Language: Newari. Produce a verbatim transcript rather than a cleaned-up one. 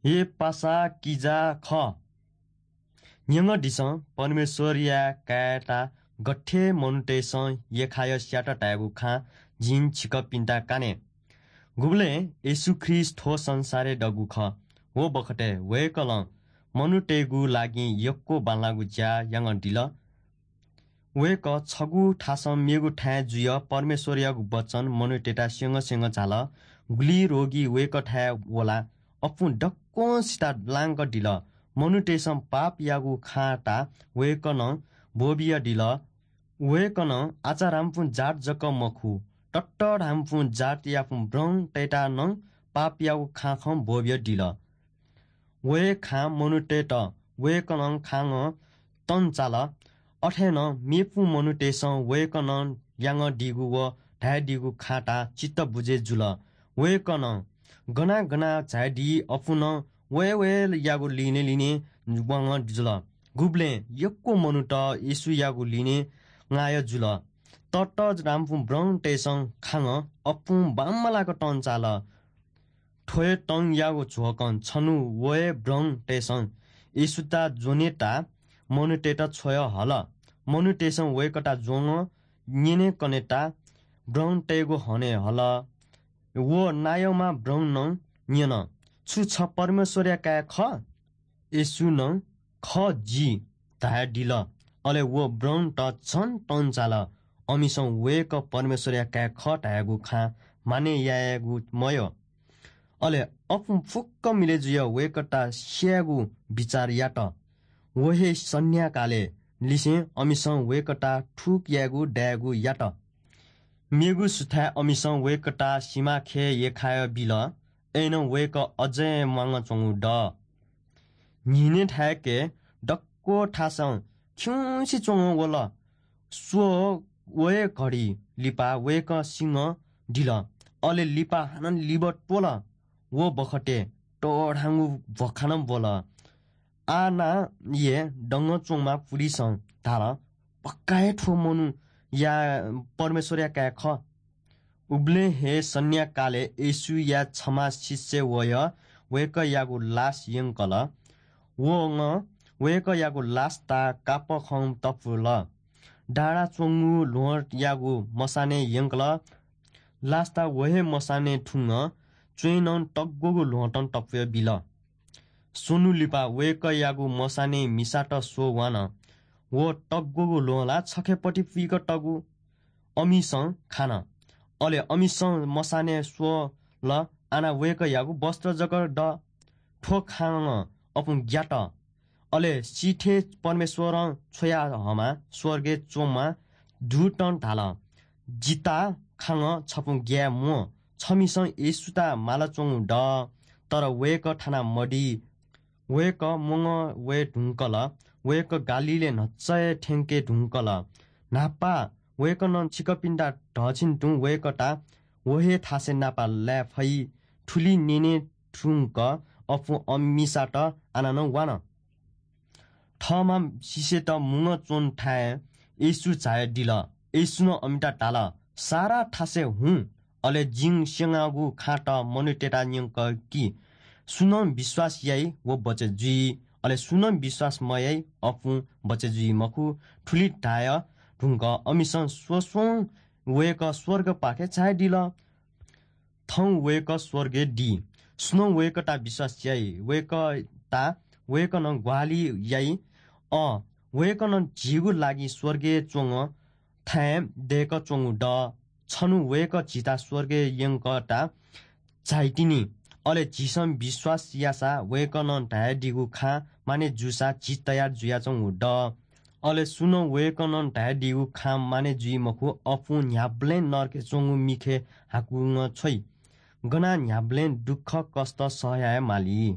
हे पासा किजा खः, न्यंकदिसँ, परमेश्वरया काय्‌यात गथे मनूतय्‌सं यख्खाय् स्यात धायेगु खँ जिं छिकपिन्त काने। गुबलें येशू ख्रीष्ट थ्व संसारय् दःगु खः, व बखतय् वय्‌कलं मनूतय्‌गु लागि यक्व बांलाःगु ज्या यानादिल। वय्‌कः छगू थासं मेगु थाय् जुयाः परमेश्वरयागु वचन मनूतय्‌त स्यंगः स्यंगः झाल। गुलि रोगी वय्‌कःथाय् वलाः अप्वः दक्वसित लांकादिल। मनूतय्‌सं पापयागु खँ ताः वय्‌कलं ब्वःबियादिल। वय्‌कलं आचाराम्पुं जात जक मखु, ततःधाम्पुं जातयापुं ब्रं तय्‌ताः नं पापयागु खँ खँ ब्वःबियादिल। व हे खँ मनूतय्‌त वय्‌कलं खँ नं तंचाल। अथे नं मेपुं मनूतय्‌सं वय्‌कलं यानादीगु व धायेदीगु खँ ताः चित्त बुझे जुल। वय्‌कलं गना गना झायादी अप्वः नं वये वयेयागु लिने लिने वांगः जुल। गुबलें यक्व मनूत येशूयागु लिने ङाया जुल। ततःधाम्पुं ब्रंतय्‌सं खँ नं अप्वः बांमलाक तंचाल। थ्व हे तंयागु झ्वकं छन्हु व हे ब्रंतय्‌सं येशूत ज्वनेत मनूतय्‌त छ्वया हल। मनूतय्‌सं वय्‌कःत ज्वंगः न्यनेकनेत ब्रंतय्‌गु हने हल। व नायःम्ह ब्रं नं न्यन, "छु छ परमेश्वरया काय् खः?" येशूं नं, "खः जि" धयादिल। अले व ब्रंत झन तंचाल। अमिसं वय्‌कः परमेश्वरया काय् खः धयागु खँ मानय् यायेगु मयः। अले अप्वः फुक्क मिलय् जुयाः वय्‌कःत स्यायेगु बिचाः यात। व हे सन्ध्याकालय् लिसें अमिसं वय्‌कःत थुक यायेगु दायेगु यात। मेगु सुथाय् अमिसं वय्‌कःत सिमाखे यख्खाय् बिल। अय्‌नं वय्‌कः अझ हे म्वाना च्वंगु दः। न्हिनय् थाय्‌के दक्व थासं खिउँसे च्वंगः वल। स्व व हे घडी लिपा वय्‌कः सिंगः दिल। अले लिपा हानं लिब त्वल। व बखतय् तःधांगु भ्वखानं ब्वल। आः नां हे दंगः च्वंम्ह पुलिसं धाल, "पक्का हे थ्व मनूया परमेश्वरया काय् खः।" उबलय् हे सन्ध्याकालय् येशूया छम्ह शिष्य वयः वय्‌कःयागु लास यंकल। वं वय्‌कःयागु लासत कापःखं तपुल। डाँडा च्वंगु ल्वहंयागु मसानय् यंकल। लासत व हे मसानय् थुंगः च्वँय् नं तग्वःगु ल्वहंतं तपुया बिल। स्वन्हु लिपा वय्‌कःयागु मसानय् मिसात स्वः वान। व तग्वःगु ल्वहं ला छखेपति पुइक तःगु अमिसं खान। अले अमिसं मसानय् स्वल, आना वय्‌कःयागु वस्त्र जक दः। थ्व खँ नं अप्वः ग्यात। अले सिथय् परमेश्वरं छ्वया हःम्ह स्वर्गय् च्वंम्ह दूतं धाल, "जितः खँ नं छप्वः ग्याये म्वाः। छमिसं येशूत मालाच्वंगु दः, तर वय्‌कः थाना मदी।" वय्‌कः म्वंगः वये धुंकल। वय्‌कः गालीलय् न्हचा हे थ्यंके धुंकल। न्हापा वय्‌कलं छिकपिन्त धःछिं तुं वय्‌कःत व हे थासय् नापं लाये फइ। थुलि न्यने धुंकः अप्वः अमिसात आनानं वान। थःम्ह शिष्यत म्वंगः च्वंथाय् येशू झायादिल। येशूं अमित धाल, "सारा थासय् हुँ, अले जिं स्यनागु खँत मनूतय्‌त न्यंक कि। सुं नं विश्वास याइ, व बचय् जुइ, अले सुं नं विश्वास मयाइ, अप्वः बचय् जुइ मखु।" थुलि धाये धुंकः अमिसं स्वस्वं वय्‌कः स्वर्गपाखे झायादिल। थौं वय्‌कः स्वर्गय् दी। सुं नं वय्‌कःयात विश्वास याइ, वय्‌कःयात वय्‌कलं ग्वाहालि याइ। अँ, वय्‌कलं झीगु लागि स्वर्गय् च्वंगः थाय् दय्‌क च्वंगु दः। छन्हु वय्‌कः झीत स्वर्गय् यंकःयात झाइतिनि। अले झीसं विश्वास याःसा वय्‌कलं धयादीगु खँ मानय् जूसा झी तयार जुयाच्वंगु दः। अले सुं नं वय्‌कलं धयादीगु खँ मानय् जुइ मखु, अप्वः न्ह्याबलें नरकय् च्वंगु मिखे हाकुगु छ्वइ। गनं न्ह्याबलें दुःखकष्ट सह याये माली।